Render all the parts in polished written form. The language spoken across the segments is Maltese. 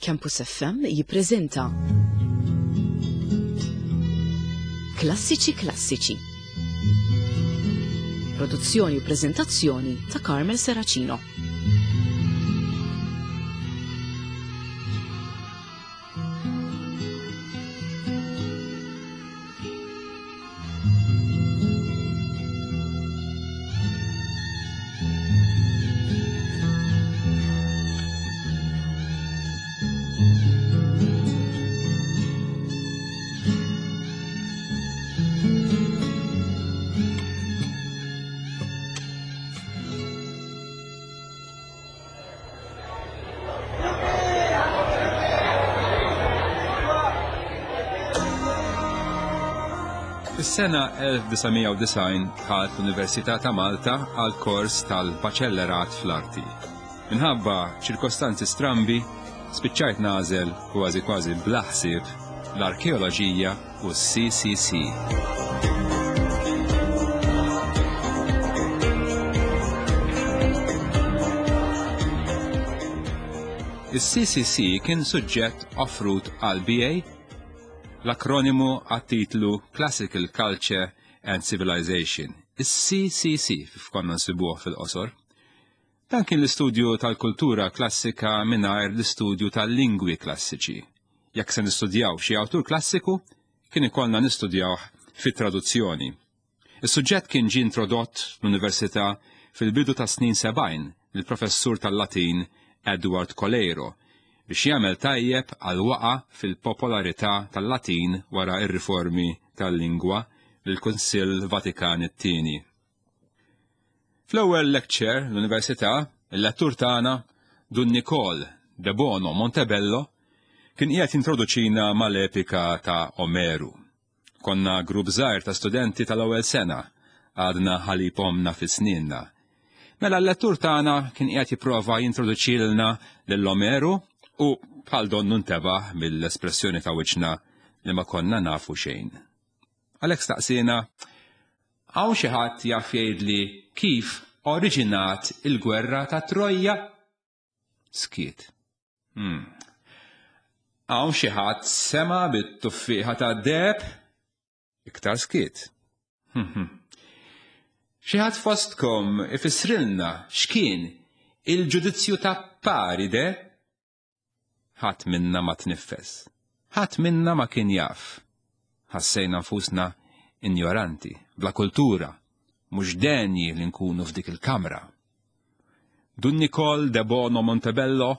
Campus FM jippreżenta Klassiċi Klassiċi. Produzzjoni u preżentazzjoni ta' Carmel Seracino. Fis-sena 1990 dħalt l-Università ta' Malta għal kors tal-Baċellerat fl-Arti. Minħabba ċirkostanzi strambi, spiċċajt nagħżel kważi kważi bla ħsieb l-arkeoloġija u s-CCC. Is-CCC kien suġġett offrut għal BA, l-akronimu għat-titlu Classical Culture and Civilization, is-CCC kif konna nsibuh fil-qosor. Dan kien l-istudju tal-kultura klassika mingħajr l-istudju tal-lingwi klassiċi. Jekk se nistudjaw xi awtur klassiku, kien ikollna nistudjawh fit-traduzzjoni. Is-suġġett kien ġie introdott l-Università fil-bidu tas-snin 70 mill-professur tal-Latin Edward Coleiro biex jagħmel tajjeb għall-waqgħa fil-popolarità tal-Latin wara r-riformi tal-lingwa mill-Kunsill Vatikan it-Tieni. Fl-ewwel lecture l-Università, il-lettur tagħna, Dun Nikol Debono Montebello, kien qiegħed jintroduċina mal-epika ta' Omeru. Konna grupp żgħir ta' studenti tal-ewwel sena, għadna ħalib ommna fi sninna. Mela l-lettur tagħna kien qiegħed jipprova jintroduċilna lil Omeru u bħal donnu ntebaħ mill-espressjoni ta' wiċċna li ma konna nafu xejn. Għalhekk staqsiena, hawn xi ħadd jaf jgħidli kif oriġinat il-gwerra ta' Trojja? Skiet. Hmm. Hawn xi ħadd sema bit-tuffieħa tad-deheb? Iktar skiet. Hmm, hmm. Xi ħadd fostkom ifissrilna x'kien il-ġudizzju ta' Paride? Ħadd minna ma tniffes. Ħadd minna ma kien jaf. Ħassejna nfusna injoranti, bla kultura, mhux denji li nkunu f'dik il-kamra. Dun Nikol de Bono Montebello,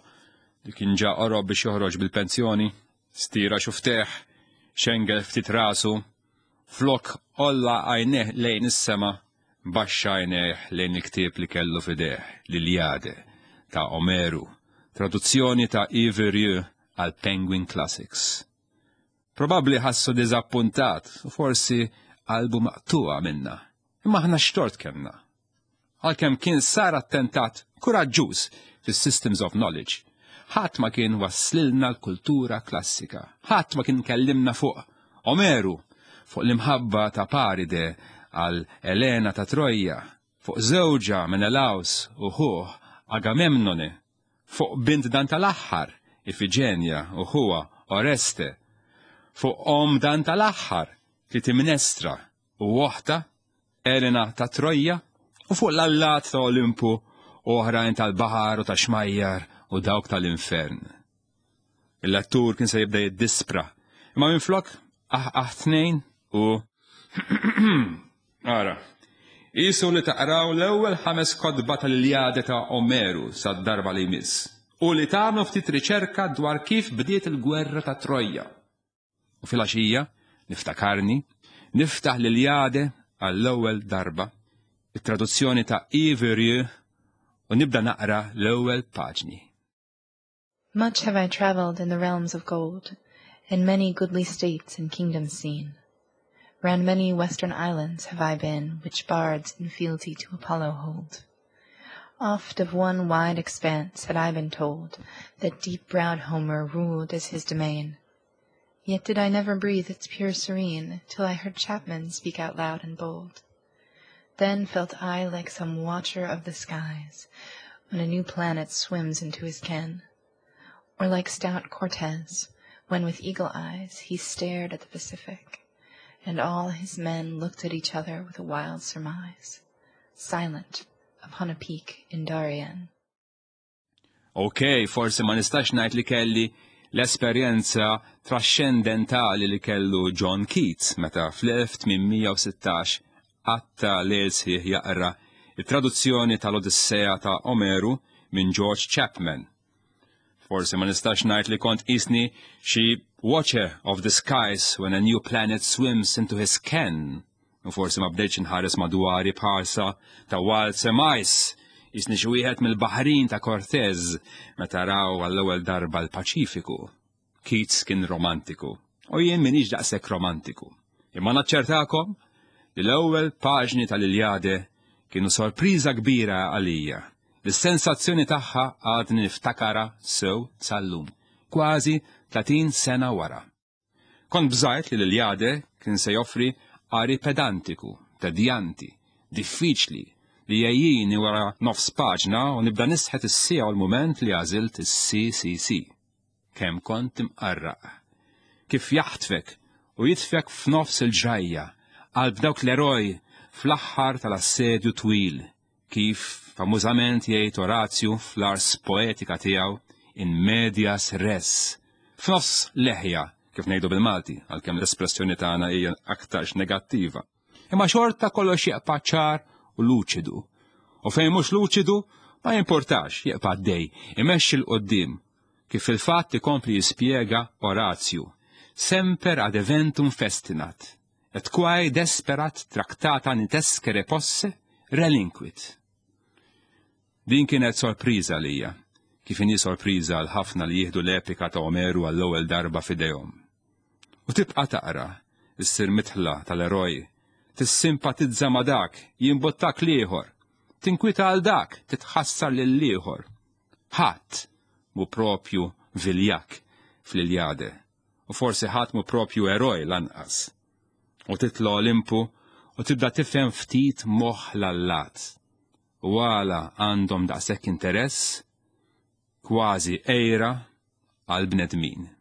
li kien ġa qorob biex joħroġ bil-pensjoni, stira xufteh, xengel ftit rasu, flok għolla għajnejh lejn is-sema, Baxxa għajnejh lejn il-ktieb li kellu f'idejh, l-Iliade, ta' Omeru, traduzzjoni ta' Yves Rieu għal Penguin Classics. Probabbli ħassu diżappuntat u forsi qalbu maqtugħa minna. Imma aħna x'tort kellna? Għalkemm kien sar attentat kuraġġuż fis-Systems of Knowledge, ħadd ma kien wasslilna l-kultura klassika, ħadd ma kien kellimna fuq Omeru, fuq l-imħabba ta' Paride għal Elena ta' Trojja, fuq żewġha Menelaus u ħuh Agamemnone, fuq bint dan tal-aħħar, Ifiġenja u ħuha Oreste, fuq omm dan tal-aħħar, Klitimnestra u oħtha, Elena ta' Trojja, u fuq l-allat ta' Olimpu u oħrajn tal-baħar u tax-xmajjar u dawk tal-infern. Il-lettur kien se jibda jiddispra, imma minflok aħ tnejn u ara. Isu li taqraw l-ewwel ħames kotba tal-Iljade ta' Omeru sad-darba li jmiss u li tagħmlu ftit riċerka dwar kif bdiet il-gwerra ta' Trojja. U filgħaxija, niftakarni, niftaħ l-Iljade għall-ewwel darba, it-traduzzjoni ta' Yves Rieu u nibda naqra l-ewwel paġni. Much have I travelled in the realms of gold, And many goodly states and kingdoms seen. Round many western islands have I been, Which bards in fealty to Apollo hold. Oft of one wide expanse had I been told That deep-browed Homer ruled as his domain. Yet did I never breathe its pure serene Till I heard Chapman speak out loud and bold. Then felt I like some watcher of the skies When a new planet swims into his ken. Or like stout Cortez, when with eagle eyes he stared at the Pacific, and all his men looked at each other with a wild surmise, silent upon a peak in Darien. Ok, forsi ma nistax ngħid li kelli l-esperjenza traxxendentali li kellu John Keats meta fl-1816 qatta' lejl sħiħ jaqra t-traduzzjoni tal-Odissea ta' Omeru minn George Chapman. Forsi ma nistax ngħid li kont qisni xi watcher of the skies when a new planet swims into his ken U forsi ma bdejtx inħares madwari b'ħarsa ta' wild surmise, jisni xi wieħed mill-baħrin ta' Cortez meta raw għall-ewwel darba l-Paċifiku. Keats kien romantiku, u jien minix daqshekk romantiku. Imma naċċertakom li l-ewwel paġni tal-Iljade kienu sorpriża kbira għalija, li s-sensazzjoni tagħha għadni niftakara sew sal-lum, kważi 30 sena wara. Kont bżajt li l-Iljade kien se joffri qari pedantiku, tedjanti, diffiċli, li jgħejjini wara nofs paġna u nibda nisħet is-siegħa u l-mument li għażilt is-CCC. Kemm kont imqarraq. Kif jaħtfek u jitfek f'nofs il-ġrajja, qalb dawk l-eroj fl-aħħar tal-assedju twil, kif famużament jgħid Orazju fl-ars poetika tiegħu in medias res, f'nofs leħja, kif ngħidu bil-Malti, għalkemm l-espressjoni tagħna hija aktarx negattiva. Imma xorta kollox jeqpa' ċar u luċidu. U fejn mhux luċidu, ma jimportax, jeqpa' għaddej, imexxi 'l quddiem, kif fil-fatt ikompli jispjega Orazju, semper ad eventum festinat, Et quae desperat tractata nitescere posse, relinquit. Din kienet sorpriża għalija, kif inhi sorpriża għal ħafna li jieħdu l-epika ta' Omeru għall-ewwel darba f'idejhom. U tibqa' taqra, issir midħla tal-eroj, tissimpatizza ma' dak, jimbuttak l-ieħor, tinkwieta għal dak, titħassar lill-ieħor. Ħadd mhu propju viljakk fl-Iljade. U forsi ħadd mhu propju eroj lanqas. U titla' Olimpu u tibda tifhem ftit moħħ l-allat. U għala għandhom daqshekk interess, kważi għira, għall-bnedmin.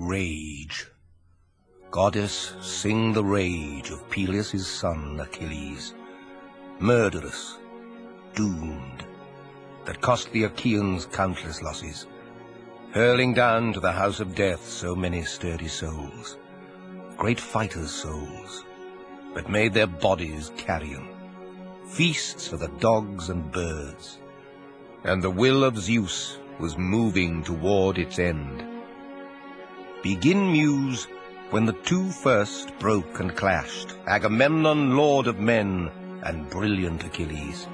Rage. Goddess, sing the rage of Peleus' son Achilles, murderous, doomed, that cost the Achaeans countless losses, hurling down to the house of death so many sturdy souls, great fighters' souls, but made their bodies carrion, feasts for the dogs and birds. And the will of Zeus was moving toward its end. Begin, Muse, when the two first broke and clashed, Agamemnon, lord of men, and brilliant Achilles.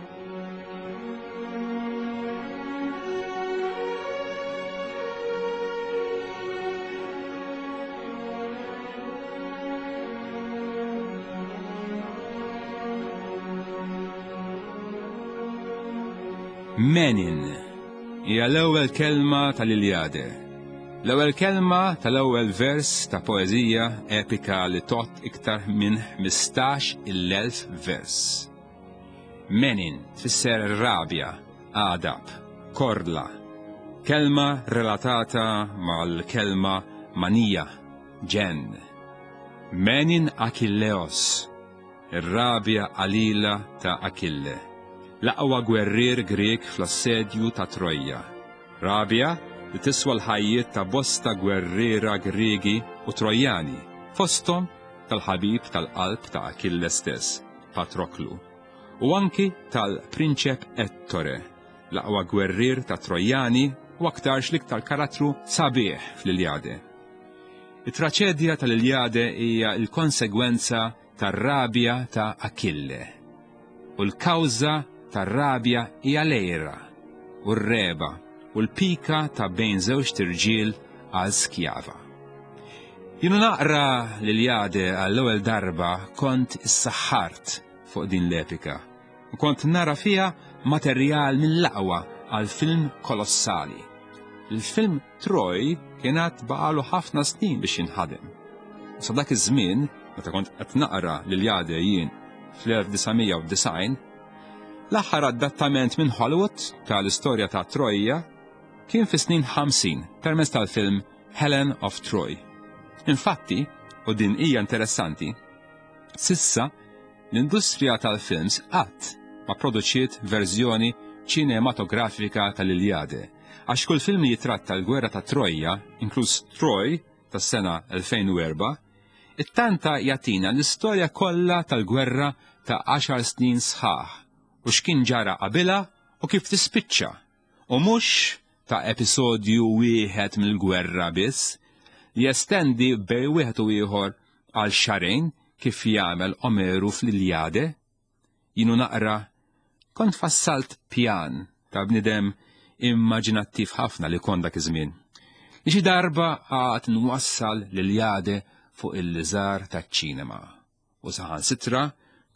Menin hija l-ewwel kelma tal-Iljade. L-ewwel kelma tal-ewwel vers ta' poeżija epika li tgħodd iktar minn 15,000 vers. Menin tfisser rabja, għadab, korla, kelma relatata mal-kelma manija, ġenn. Menin Achilleos, ir-rabja qalila ta' Akille, l-aqwa gwerrier Grieg fl-assedju ta' Trojja. Rabja li tiswa l-ħajjiet ta' bosta gwerriera Griegi u Trojjani, fosthom tal-ħabib tal-qalb ta' Akille stess, Patroklu, u anki tal-prinċep Ettore, l-aqwa gwerrier tat-Trojjani u aktarx l-iktar karattru sabiħ fl-Iljade. It-traċedja tal-Iljade hija l-konsegwenza tar-rabja ta' Akille. U l-kawża tar-rabja hija l-għira u r-regħba u l-pika ta' bejn żewġt irġiel għal skjava. Jien u naqra l-Iljade għall-ewwel darba kont issaħħart fuq din l-epika u kont nara fiha materjal mill-aqwa għal film kolossali. Il-film Troy kien għad baqalu ħafna snin biex jinħadem. U sa dak iż-żmien, meta kont qed naqra l-Iljade jien fl-1990, l-aħħar adattament minn Hollywood tal-istorja ta' Troja kien fis-snin 50 permezz tal-film Helen of Troy. Infatti, u din hija interessanti, sissa l-industrija tal-films qatt ma produċiet verżjoni ċinematografika tal-Iljade, għax kull film li jitratta l-gwerra ta' Trojja, inkluż Troy tas-sena 2004, It-tanta jagħtina l-istorja kollha tal-gwerra ta' għaxar snin sħaħ u x'kien ġara qabilha u kif tispiċċa, u mhux ta' episodju wieħed mill-gwerra biss, li jestendi bejn wieħed u ieħor għal xahrejn kif jagħmel Omeru fl-Iljade. Jien u naqra, kont fassalt pjan ta' bniedem immaġinattiv ħafna li kont dak iż-żmien. Li xi darba għad nwassal l-Iljade fuq il-liżar taċ-ċinema. U saħansitra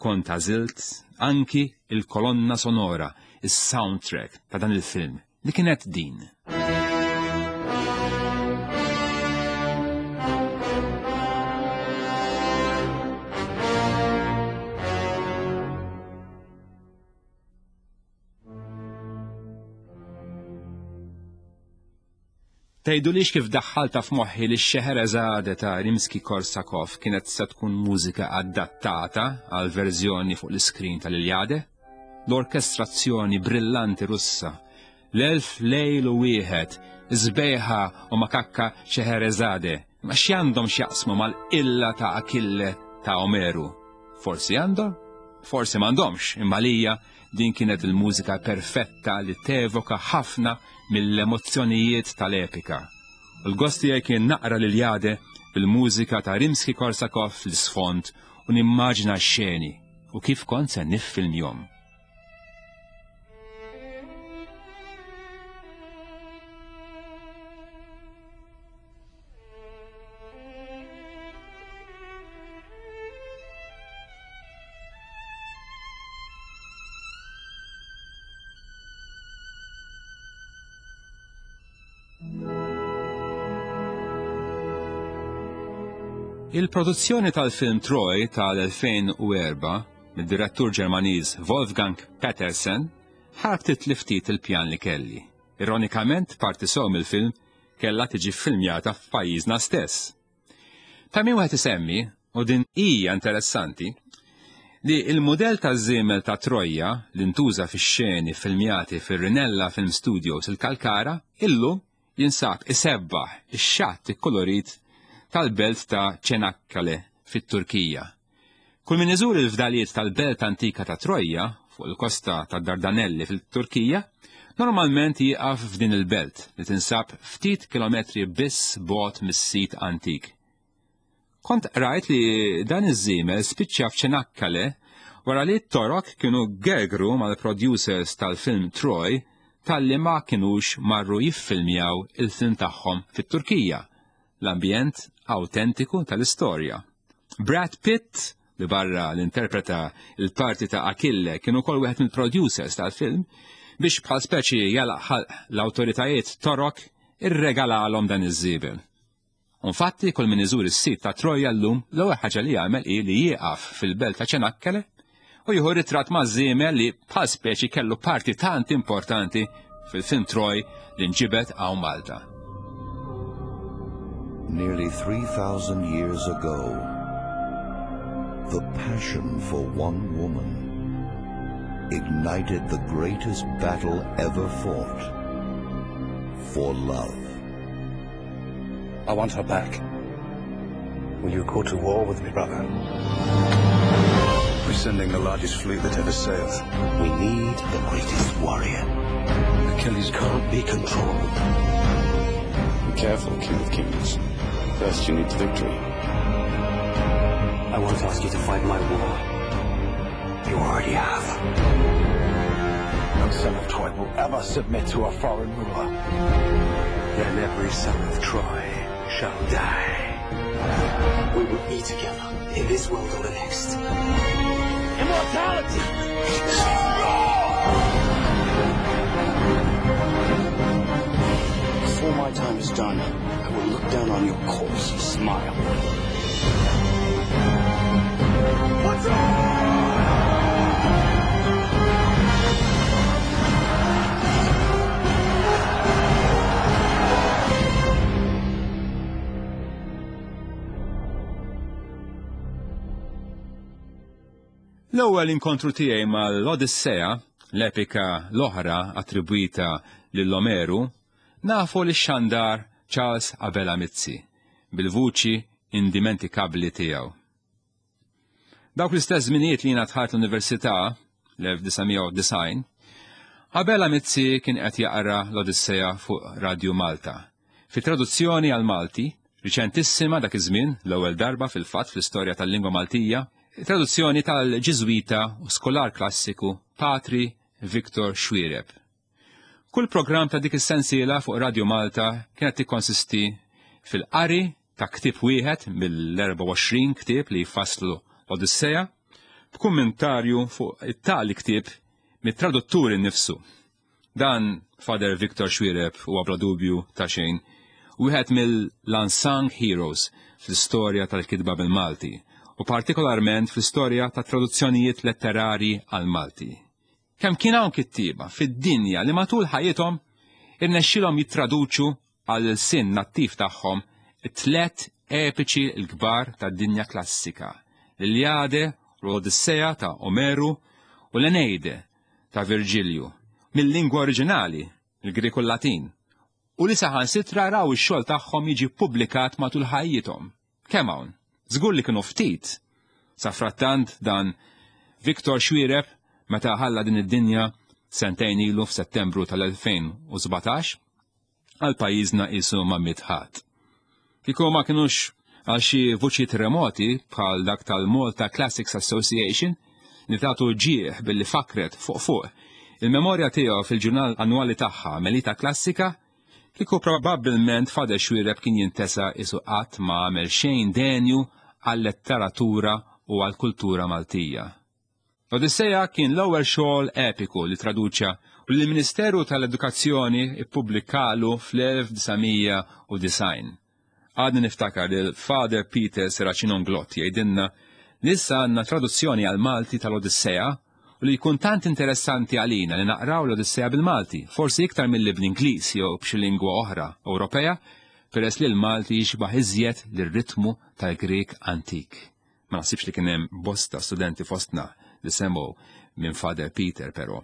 kont għażilt anki il-kolonna sonora, is-soundtrack ta' dan il-film, li kienet din. Tgħidulix kif daħħalta f'moħħi li x-Xeherezade ta' Rimsky-Korsakov kienet se tkun mużika adattata għal verżjoni fuq l-iskrin tal-Iljade? L-orkestrazzjoni brillanti Russa, l-elf lejl u wieħed, sbejħa u makakka Xeherezade, ma x'għandhom x'jaqsmu mal-qilla ta' Akille ta' Omeru? Forsi għandhom, forsi m'għandhomx, imma lija din kienet il-mużika perfetta li tevoka ħafna mill-emozzjonijiet tal-epika. U l-gost tiegħi kien naqra l-Iljade bil-mużika ta' Rimsky-Korsakov fl-isfond u nimmaġina x-xeni u kif kont se niffilmjhom. Il-produzzjoni tal-film Troy tal-2004 mid-direttur Ġermaniż Wolfgang Petersen ħarbtit li ftit il-pjan li kelli. Ironikament, parti sew mill-film kellha tiġi ffilmjata f'pajjiżna stess. Ta' min wieħed isemmi, u din hija interessanti, li l-mudell taż-żiemel ta' Trojja li ntuża fix-xeni ffilmjati fir-Rinella Film Studios il-Kalkara illum jinsab isebbaħ ix-xatt ikkulurit tal-belt ta' Çanakkale fit-Turkija. Kull min iżur il-fdalijiet tal-belt antika ta' Trojja, fuq il-kosta tad-Dardanelli fil-Turkija, normalment jieqaf f'din il-belt li tinsab ftit kilometri biss bogħod mis-sit antik. Kont qrajt li dan iż-żiemel spiċċa f'Çanakkale wara li t-Torok kienu gergru mal-producers tal-film Troy talli ma kinux marru jiffilmjaw il-film tagħhom fit-Turkija, l-ambjent awtentiku tal-istorja. Brad Pitt, li barra li interpreta l-parti ta' Achille kien ukoll wieħed mill-producers tal-film, biex bħal speċi jalaq ħalq l-awtoritajiet Torok irregalalhom dan iż-żiebel. Infatti, kull min iżur is-sit ta' Troja llum l-ewwel ħaġa li jagħmel hi li jieqaf fil-belt ta' Ċenakkele u jieħu ritratt ma' żiemel li bħal speċi kellu parti tant importanti fil-film Troy li nġibed hawn Malta. Nearly 3,000 years ago, the passion for one woman ignited the greatest battle ever fought for love. I want her back. Will you go to war with me, brother? We're sending the largest fleet that ever sailed. We need the greatest warrior. Achilles can't be controlled. Be careful, King of Kings. First you need the victory. I won't ask you to fight my war. You already have. No son of Troy will ever submit to a foreign ruler. Then every son of Troy shall die. We will be together in this world or the next. Immortality is yours! Before my time is done, I will look down on your corpse and smile. What's up? L-ewwel inkontru tiegħi mal-Odissea, l-epika l-oħra attribwita lil Omeru, nafu li xandar Charles Abela Mizzi bil-vuċi indimentikabbli tiegħu. Dawk l-istess żminijiet li jiena dħalt l-università, l-1990, Abela Mizzi kien qed jaqra l-Odissea fuq Radju Malta. Fi traduzzjoni għall-Malti, riċentissima dak iż-żmien, l-ewwel darba fil-fatt fl-istorja tal-lingwa Maltija, traduzzjoni tal-Ġiżwita u skolar klassiku Patri Victor Xuereb. Kull programm ta' dik is-sensiela fuq Radju Malta kienet tikkonsisti fil-qari ta' ktieb wieħed mill-24 ktieb li jfasslu l-Odissea, b'kummentarju fuq it-tali ktieb mit-traduttur innifsu. Dan Father Victor Xuereb huwa bla dubju ta' xejn wieħed mill-unsung heroes fl-istorja tal-kitba bil-Malti u partikolarment fl-istorja ta' traduzzjonijiet letterarji għall-Malti. Kemm kien hawn kittieba fid-dinja li matul ħajjithom irnexxielhom jittraduċu għall-ilsien nattiv tagħhom it-tlett epiċi l-kbar tad-dinja klassika, l-Iliade u l-Odissea ta' Omeru u l-Eneide ta' Virġilju, mil-lingwa oriġinali, il-Grieg u l-Latin, u li saħansitra raw ix-xogħol tagħhom jiġi ppubblikat matul ħajjithom. Kemm hawn? Żgur li kienu ftit! Safrattant dan Victor Xuereb meta ħalla din id-dinja sentejn ilu f'Settembru tal-2017, għal pajjiżna qisu ma miet ħadd. Kieku ma kinux għal xi vuċijiet remoti bħal dak tal-Malta Classics Association li tagħtu ġieħ billi fakret fuq fuq il-memorja tiegħu fil-ġurnal annwali tagħha Melita Klassika, Kieku probabbilment Father Xuereb kien jintesa qisu qatt ma għamel xejn denju għal-letteratura u għall-kultura Maltija. L-Odissea kien l-ewwel xogħol epiku li traduċa u li l-Ministeru tal-Edukazzjoni ppubblikalu fl-1990. Għadni niftakar lil Father Peter Serracino Inglott jgħidilna li issa għandna traduzzjoni għall-Malti tal-Odissea u li jkun tant interessanti għalina li naqraw l-Odissea bil-Malti, forsi iktar milli bl-Ingliż jew b'xi lingwa oħra Ewropea, peress li l-Malti jixbah iżjed lir-ritmu tal-Grieg antik. Ma naħsibx li kien hemm bosta studenti fostna li semgħu minn Father Peter però.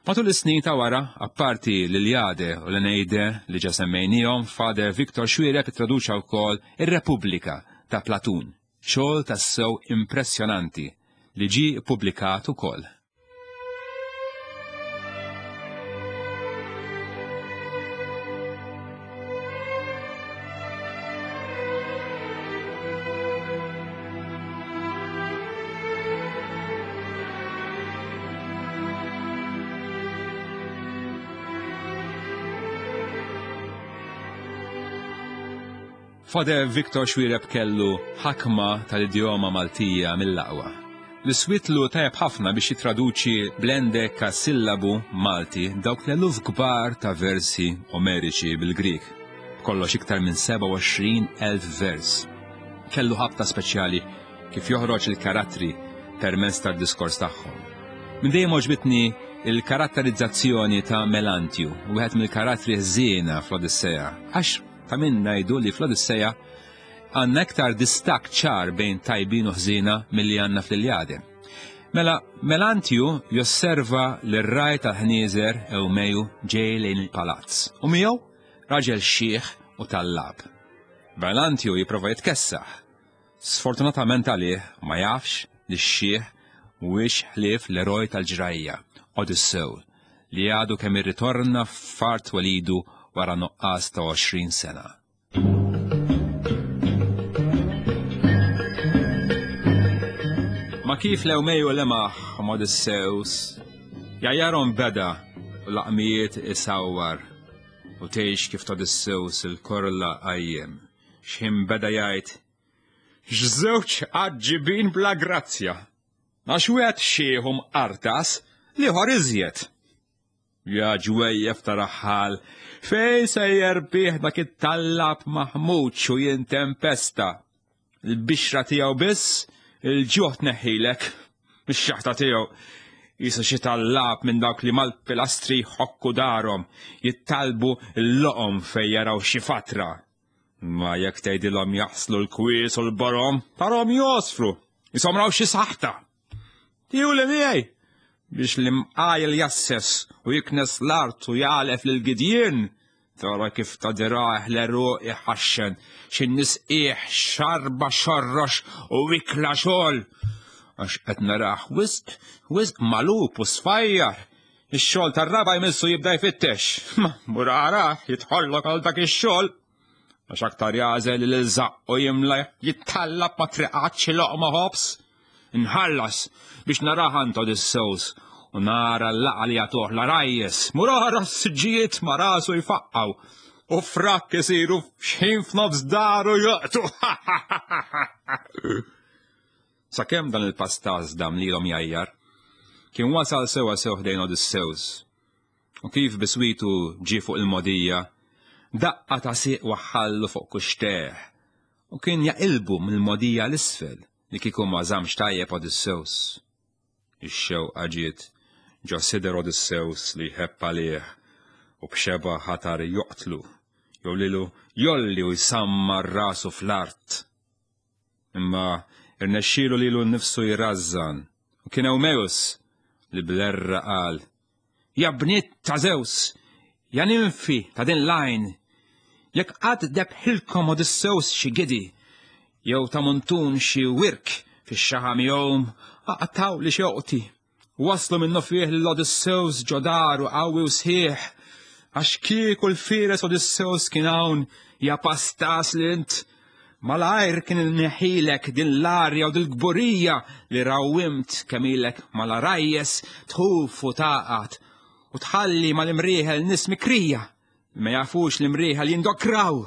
Matul is-snin ta' wara, apparti l-Iliade u l-Eneide li ġa semmejniehom, Father Victor Xuereb ittraduċa wkoll ir-Repubblika ta' Platun. Xogħol tassew impressjonanti li ġie ppubblikat ukoll. Father Victor Xuereb kellu ħakma tal-idjoma Maltija mill-aqwa. Li swietlu tajjeb ħafna biex jittraduċi bl-endekasillabu Malti dawk l-eluf kbar ta' versi Omeriċi bil-Grieg, b'kollox iktar minn 27,000 vers. Kellu ħabta speċjali kif joħroġ il-karattri permezz tad-diskors tagħhom. Minn dejjem għoġbitni il-karatterizzazzjoni ta' Melantju, wieħed mill-karattri ħżiena fl-Odissea, għax Ta' min ngħidu li fl-Odissea għandna iktar distakk ċar bejn tajbin u ħżiena milli għandna fl-Iljade. Mela, Melantju josserva lir-ragħaj tal-ħnieżer Ewmeju ġej lejn il-palazz u miegħu raġel xiħ u tallab. Melantju jipprova jitkessaħ. Sfortunatament għalih ma jafx li x-xiħ mhuwiex ħlief l-eroj tal-ġrajja, Odyssew, li għadu kemm irritorna f'art twelidu wara nuqqas ta' 20 sena. kif l-Ewmeju lemaħ Odysseus, jajjarhom beda u laqmijiet isawwar u tgħix kif Odysseus il-korla qajjem. X'ħin beda jgħid, X'żewġ għaġġibin bla grazzja! Għax wieħed xiħ u mqartas, l-ieħor iżjed. Ja ġwejjef ta' raħħal, fejn sejjer bih dak it-tallab maħmuġ u jien tempesta? Il-bixra tiegħu biss, il-ġuħ tneħħilek. Ix-xaħta tiegħu jisa xi tallab minn dawk li mal-pilastri jħokku darhom, jittalbu l-loqom fejn jaraw xi fatra. Ma jekk tgħidilhom jaħslu l-kwies u l-borom, tarhom josfru, jisom raw xi saħta. Tiju li miegħi biex l-imqajl jasses u jiknes l-art u jagħlef lil gidjien, tara kif ta' diraħ l-eruq iħaxxen, xi nisqiħ xarba xorrox u ikla xogħol. Għax qed naraħ wisq, wisq malub u sfajjar. Ix-xogħol tar-raba' jmissu jibda jfittex. Ma mur ara jidħollok għal dak ix-xogħol. Għax aktar jagħżel li l-żaqq u jimla jittallab ma triqatx xi loqma ħobż. Nħallas biex narah għand Odysseus u nara l-laqa li jagħtuh l-għarajjes. Mur ara s-siġġijiet ma rasu jfaqqgħu u frakk isiru x'ħin f'nofs daru joqtu. Sakemm dan il-pastaż dam lilhom jgħajjar, kien wasal sewwa sew ħdejn Odysseus. U kif biswitu ġie fuq il-mogħdija, daqqa ta' sieq waħħallu fuq kuxtejh u kien jaqilbu mill-mogħdija 'l isfel li kieku ma żammx tajjeb Odysseus. Ix-xewqa ġiet ġo sider Odysseus li jħebb għalih u b'xebgħa ħatar joqtlu jew lilu jgħolli u jsammar rasu fl-art. Imma irnexxielu lilu nnifsu jrażżan, u kien Ewmeus li bl-erra qal, Ja bniet ta' Zeus, ja ninfi ta' din l-għajn, jekk qatt debħilkom Odysseus xi gidi, jew ta' muntun xi wirk fix-xaħam jgħum, aqtgħuli xewqti. Wasslu minnufih lil Odysseus ġo daru qawwi u sħiħ, għax kieku l-fieres Odysseus kien hawn, ja pastas li int, malajr kien inneħħilek din l-arja u dil-kburija li rawwimt kemm ilek mal-għarajjes tħuf u tagħqad u tħalli mal-imrieħel nies mikrija li ma jafux l-imrieħel jindokraw.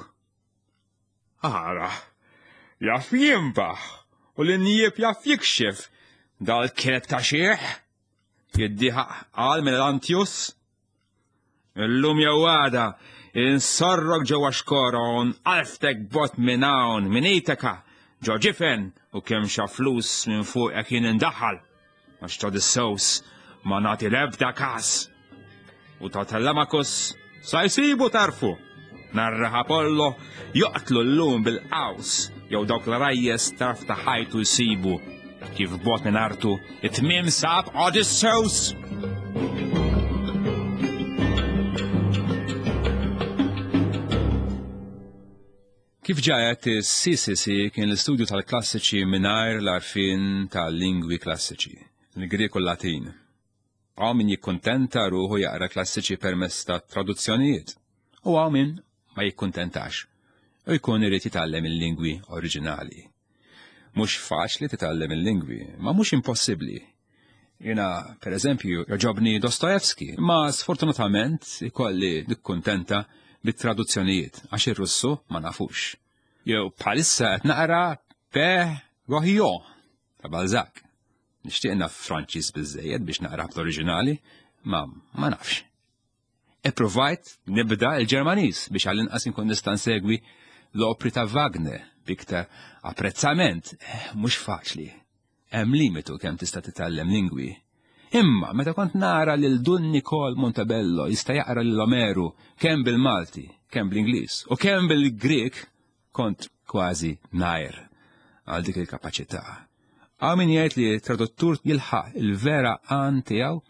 Ara, jaf jinbaħ u l-injieb jaf jikxef dal-kelb ta' xieħ. Jiddiħaq qal Melantius. Illum jew għada, insorrok ġewwa xkora u nqalftek bot minn hawn, minn Itaka, ġo ġifen u kemm xa flus minn fuqek jien indaħħal. Għax ta' Odysseus ma nagħti l-ebda każ. U ta' Telemachus sa jsibu tarfu. Narraħ Apollo joqtlu llum bil-qaws jew dawk l-rajjes tarf ta' ħajtu jsibu kif bot minn artu it-tmiem sab Odysseus. Kif ġa għedt, is-CCC kien l-istudju tal-klassiċi mingħajr l-għarfien tal-lingwi klassiċi, il-Grieg u l-Latin. Hawn min jikkuntenta ruħu jaqra klassiċi permezz ta' traduzzjonijiet u hawn min ma jikkuntentax u jkun irid jitgħallem il-lingwi oriġinali. Mhux faċli titgħallem il-lingwi, ma mhux impossibbli. Jiena, per eżempju, jogħġobni Dostoevsky, imma sfortunatament ikolli nikkuntenta bit-traduzzjonijiet għax ir-Russu ma nafux. Jew bħalissa qed naqra Père Goriot ta' Balzac. Nixtieq naf Franċiż biżżejjed biex naqra bl-oriġinali, ma ma nafx. Ippruvajt nibda l-Ġermaniż biex għall-inqas inkun nista' nsegwi l-opri ta' Wagner b'iktar apprezzament. Eh, mhux faċli. Hemm limitu kemm tista' titgħallem lingwi. Imma meta kont nara lil Dun Nikol Montebello jista' jaqra lil Omeru kemm bil-Malti, kemm bl-Ingliż u kemm bil-Grieg, kont kważi ngħir għal dik il-kapaċità. Hawn min jgħid li t-traduttur jilħaq il-vera għan tiegħu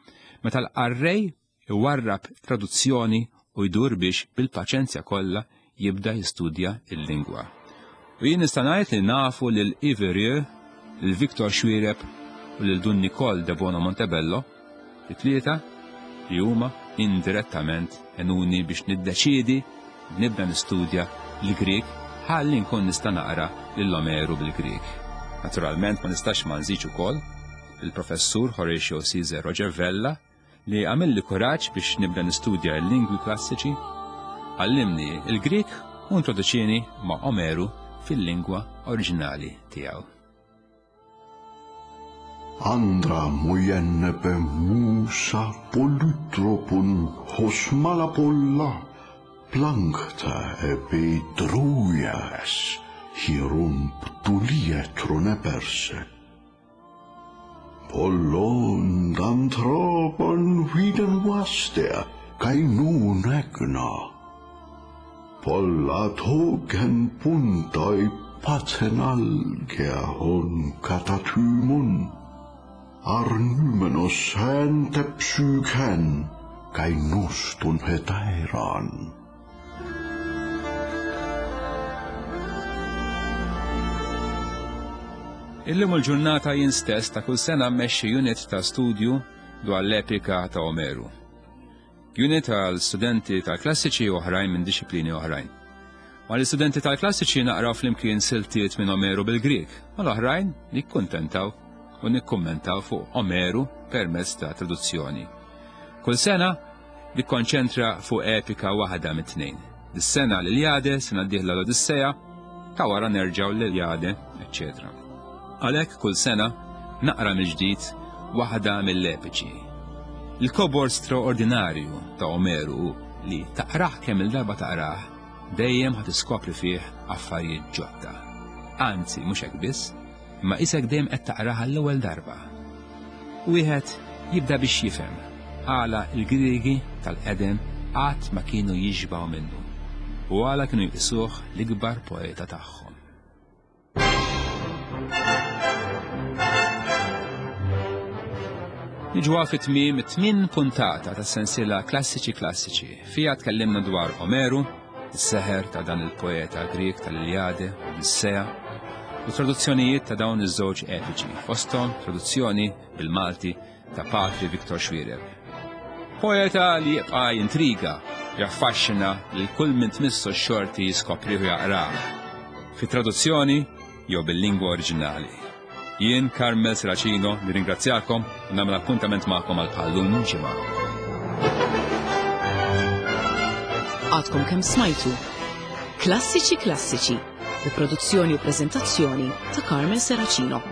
meta l-qarrej iwarrab traduzzjoni u jdur biex bil-paċenzja kollha jibda jistudja l-lingwa. U jien nista' ngħid li nafu lil Yves Rieu, lil Victor Xuereb u lil Dun Nicole Debono Montebello, it-tlieta li huma indirettament għenuni biex niddeċiedi nibda nistudja l-Grieg ħalli nkun nista' naqra lil Omeru bil-Grieg. Naturalment ma nistax ma nżidx ukoll. il-Professur Horatio Caesar Roger Vella, li għamilli kuraġġ biex nibda nistudja l-lingwi klassiċi, għallimni il-Grieg u introduċieni ma' Omeru fil-lingwa oriġinali tiegħu. Andra mujennepe musa polytropun hosmalapolla plankta epi druias hierum ptulietron eperse. Pollon antropon viden vastea, kai nun egna. Polla togen puntoi pathenalgea hon katatymon. Arnymenos häntä psykän, kai nostun hetairan. Illum il-ġurnata jien stess ta' kull sena mmexxi unit ta' studju dwar l-epika ta' Omeru. Unit għal studenti tal-klassiċi u oħrajn minn dixxiplini oħrajn. Mal-istudenti tal-klassiċi naqraw flimkien siltiet minn Omeru bil-Grieg, mal-oħrajn nikkuntentaw u nikkummentaw fuq Omeru permezz ta' traduzzjoni. Kull sena nikkonċentra fuq epika waħda mit-tnejn. Dis-sena l-Iljade, sena d-dieħla l-Odisseja, ta' wara nerġgħu l-Iljade, eċċetera. Għalhekk kull sena naqra mill-ġdid waħda mill-epiċi. Il-kobor straordinarju ta' Omeru li taqrah kemm il-darba taqrah dejjem ħa tiskopri fih affarijiet ġodda. Anzi, mhux hekk biss, imma isek dejjem qed taqrah għall-ewwel darba. Wieħed jibda biex jifhem għala l-Griegi tal-qedem qatt ma kienu jixbgħu minnu u għala kienu jqisuh l-ikbar poeta tagħhom. Niġu fi tmiem it-tmien puntata tas-sensiela Klassiċi Klassiċi. Fija tkellimna dwar Omeru, is-seħer ta' dan il-poeta Grieg tal-Iljade u Odissea, u traduzzjonijiet ta' dawn iż-żewġ epiċi, fosthom traduzzjoni bil-Malti ta' Patri Viktor Xuereb. Poeta li jibqa' jintriga, jaffaxxina lil kull min tmissu x-xorti jiskoprih u jaqrah. Fi traduzzjoni jew bil-lingwa oriġinali. Jien Carmel Serracino nirringrazzjakom u nagħmel appuntament magħkom għal bħal-lum ġimgħa. Għadkom kemm smajtu Klassiċi Klassiċi bi produzzjoni u preżentazzjoni ta' Carmel Serracino.